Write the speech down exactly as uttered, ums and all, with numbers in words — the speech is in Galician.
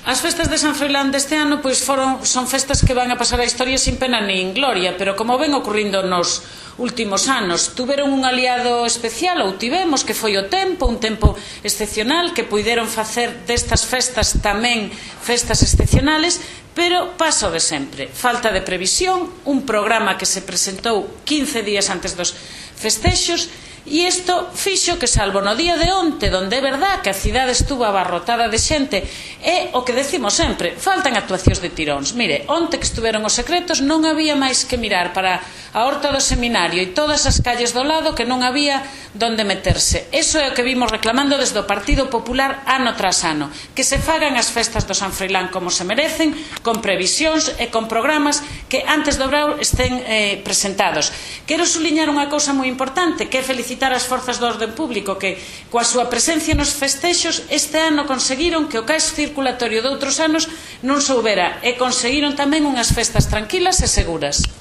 As festas de San Froilán deste ano pois foron, son festas que van a pasar a historia sin pena nin gloria, pero como ven ocorrindo nos últimos anos, tuveron un aliado especial, ou tivemos, que foi o tempo, un tempo excepcional, que puideron facer destas festas tamén festas excepcionales, pero paso de sempre, falta de previsión, un programa que se presentou quince días antes dos festexos, e isto fixo que, salvo no día de onte, donde é verdad que a cidade estuvo abarrotada de xente, é o que decimos sempre, faltan actuacións de tiróns. Mire, onte que estuveron os secretos non había máis que mirar para a horta do seminario e todas as calles do lado, que non había donde meterse. Eso é o que vimos reclamando desde o Partido Popular ano tras ano, que se fagan as festas do San Froilán como se merecen, con previsións e con programas que antes do Brao estén eh, presentados. Quero suliñar unha cousa moi importante, que é felicitar as forzas do orden público que, coa súa presencia nos festexos, este ano conseguiron que o caos circulatorio de outros anos non soubera, e conseguiron tamén unhas festas tranquilas e seguras.